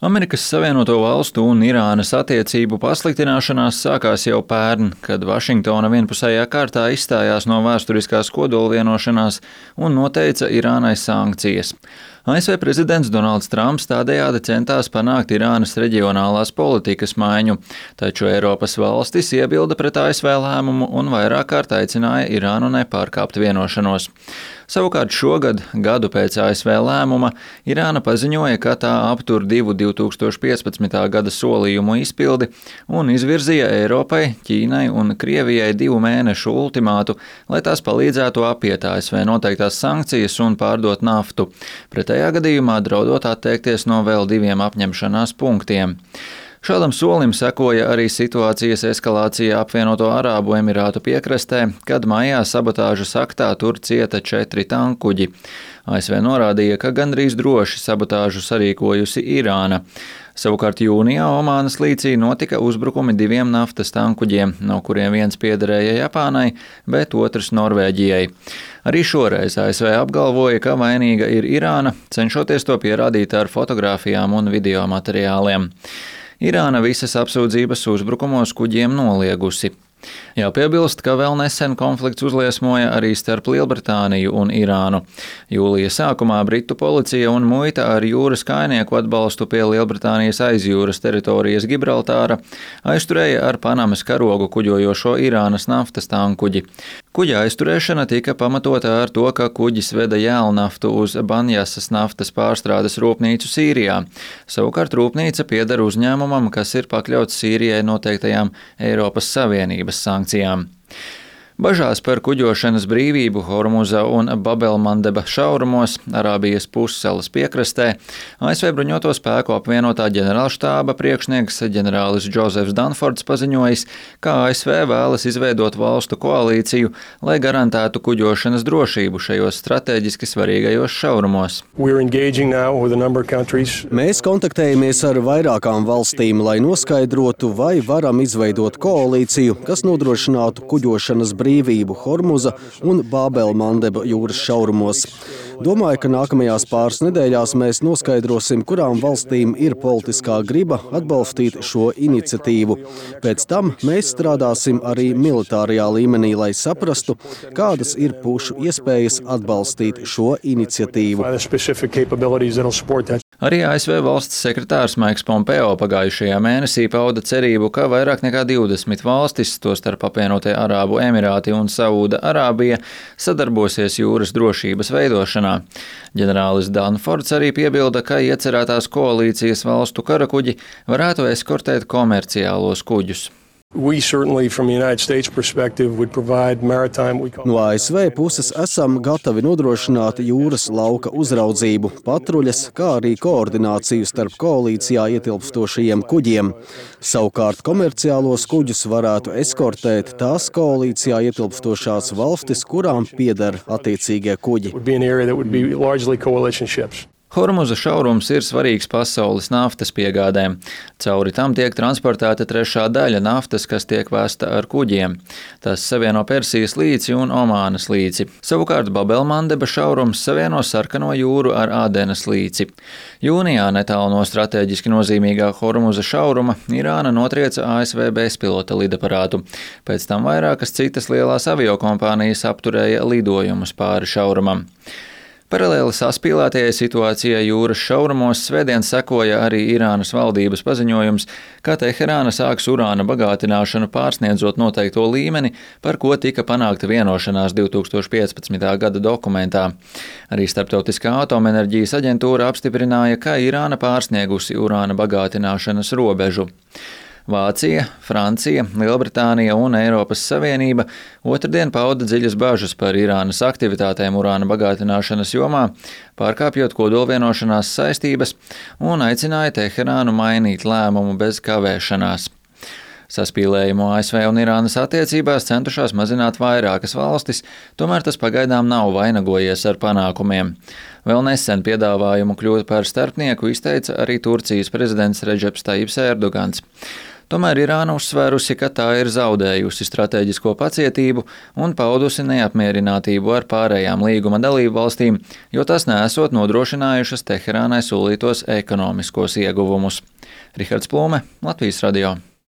Amerikas Savienoto Valstu un Irānas attiecību pasliktināšanās sākās jau pērn, kad Vašingtona vienpusējā kārtā izstājās no vēsturiskās kodolvienošanās un noteica Irānai sankcijas. ASV prezidents Donalds Trumps tādējādi centās panākt Irānas reģionālās politikas maiņu, taču Eiropas valstis iebilda pret ASV lēmumu un vairāk kārt aicināja Irānu nepārkāpt vienošanos. Savukārt šogad, gadu pēc ASV lēmuma, Irāna paziņoja, ka tā aptur 2015. gada solījumu izpildi un izvirzīja Eiropai, Ķīnai un Krievijai 2 mēnešu ultimātu, lai tās palīdzētu apiet ASV noteiktās sankcijas un pārdot naftu. Pretējā gadījumā draudot atteikties no vēl 2 apņemšanās punktiem. Šādam solim sekoja arī situācijas eskalācija apvienoto Arābu Emirātu piekrastē, kad maijā sabotāžas aktā tur cieta 4 tankuģi. ASV norādīja, ka gandrīz droši sabotāžu sarīkojusi Irāna. Savukārt jūnijā Omānas līcī notika uzbrukumi 2 naftas tankuģiem, no kuriem viens piederēja Japānai, bet otrs Norvēģijai. Arī šoreiz ASV apgalvoja, ka vainīga ir Irāna, cenšoties to pierādīt ar fotogrāfijām un video materiāliem. Irāna visas apsūdzības uzbrukumos kuģiem noliegusi. Jāpiebilst, ka vēl nesen konflikts uzliesmoja arī starp Lielbritāniju un Irānu. Jūlija sākumā Britu policija un muita ar jūras kājnieku atbalstu pie Lielbritānijas aizjūras teritorijas Gibraltāra aizturēja ar Panamas karogu kuģojošo Irānas naftas tankuģi. Kuģa aizturēšana tika pamatota ar to, ka kuģis veda jēlnaftu uz Banjasas naftas pārstrādes rūpnīcu Sīrijā. Savukārt rūpnīca pieder uzņēmumam, kas ir pakļauts Sīrijai noteiktajām Eiropas Savienības sankcijām. Bažās par kuģošanas brīvību Hormuza un Babelmandeba šaurumos Arābijas pussalas piekrastē ASV bruņoto spēku apvienotā ģenerālštāba priekšnieks ģenerālis Džozefs Danfords paziņojis, ka ASV vēlas izveidot valstu koalīciju, lai garantētu kuģošanas drošību šajos strateģiski svarīgajos šaurumos. Mēs kontaktējamies ar vairākām valstīm, lai noskaidrotu, vai varam izveidot koalīciju, kas nodrošinātu kuģošanas brīvību Hormuza un Bābelmandeba jūras šaurumos. Domāju, ka nākamajās pāris nedēļās mēs noskaidrosim, kurām valstīm ir politiskā griba atbalstīt šo iniciatīvu. Pēc tam mēs strādāsim arī militārajā līmenī, lai saprastu, kādas ir pušu iespējas atbalstīt šo iniciatīvu. Arī ASV valsts sekretārs Maiks Pompeo pagājušajā mēnesī pauda cerību, ka vairāk nekā 20 valstis, tostarp apvienotie Arābu Emirāti un Saūda Arābija, sadarbosies jūras drošības veidošanā. Ģenerālis Danfords arī piebilda, ka iecerētās koalīcijas valstu karakuģi varētu eskortēt komerciālos kuģus. No ASV puses esam gatavi nodrošināt jūras lauka uzraudzību, patruļas, kā arī koordināciju starp koalīcijā ietilpstošajiem kuģiem. Savukārt komerciālos kuģus varētu eskortēt tās koalīcijā ietilpstošās valstis, kurām pieder attiecīgie kuģi. Hormuza šaurums ir svarīgs pasaules naftas piegādēm. Cauri tam tiek transportēta trešā daļa naftas, kas tiek vēsta ar kuģiem. Tas savieno Persijas līci un Omānas līci. Savukārt Babelmandeba šaurums savieno Sarkano jūru ar Ādenas līci. Jūnijā netālu no strateģiski nozīmīgā Hormuza šauruma Irāna notrieca ASV bezpilota lidaparātu. Pēc tam vairākas citas lielās aviokompānijas apturēja lidojumus pāri šaurumam. Paralēli saspīlētajai situācijai jūras šaurumos svētdien sekoja arī Irānas valdības paziņojums, ka Teherāna sāks urāna bagātināšanu pārsniedzot noteikto līmeni, par ko tika panākta vienošanās 2015. gada dokumentā. Arī Starptautiskā atomenerģijas aģentūra apstiprināja, ka Irāna pārsniegusi urāna bagātināšanas robežu. Vācija, Francija, Lielbritānija un Eiropas Savienība otrdien pauda dziļas bažas par Irānas aktivitātēm urāna bagātināšanas jomā, pārkāpjot kodolvienošanās saistības un aicināja Teherānu mainīt lēmumu bez kavēšanās. Saspīlējumu ASV un Irānas attiecībās centušās mazināt vairākas valstis, tomēr tas pagaidām nav vainagojies ar panākumiem. Vēl nesen piedāvājumu kļūt par starpnieku izteica arī Turcijas prezidents Redžeps Tajips Erdogans. Tomēr Irāna uzsvērusi, ka tā ir zaudējusi stratēģisko pacietību un paudusi neapmierinātību ar pārējām līguma dalību valstīm, jo tas neesot nodrošinājušas Teherānai solītos ekonomiskos ieguvumus. Rihards Plūme, Latvijas radio.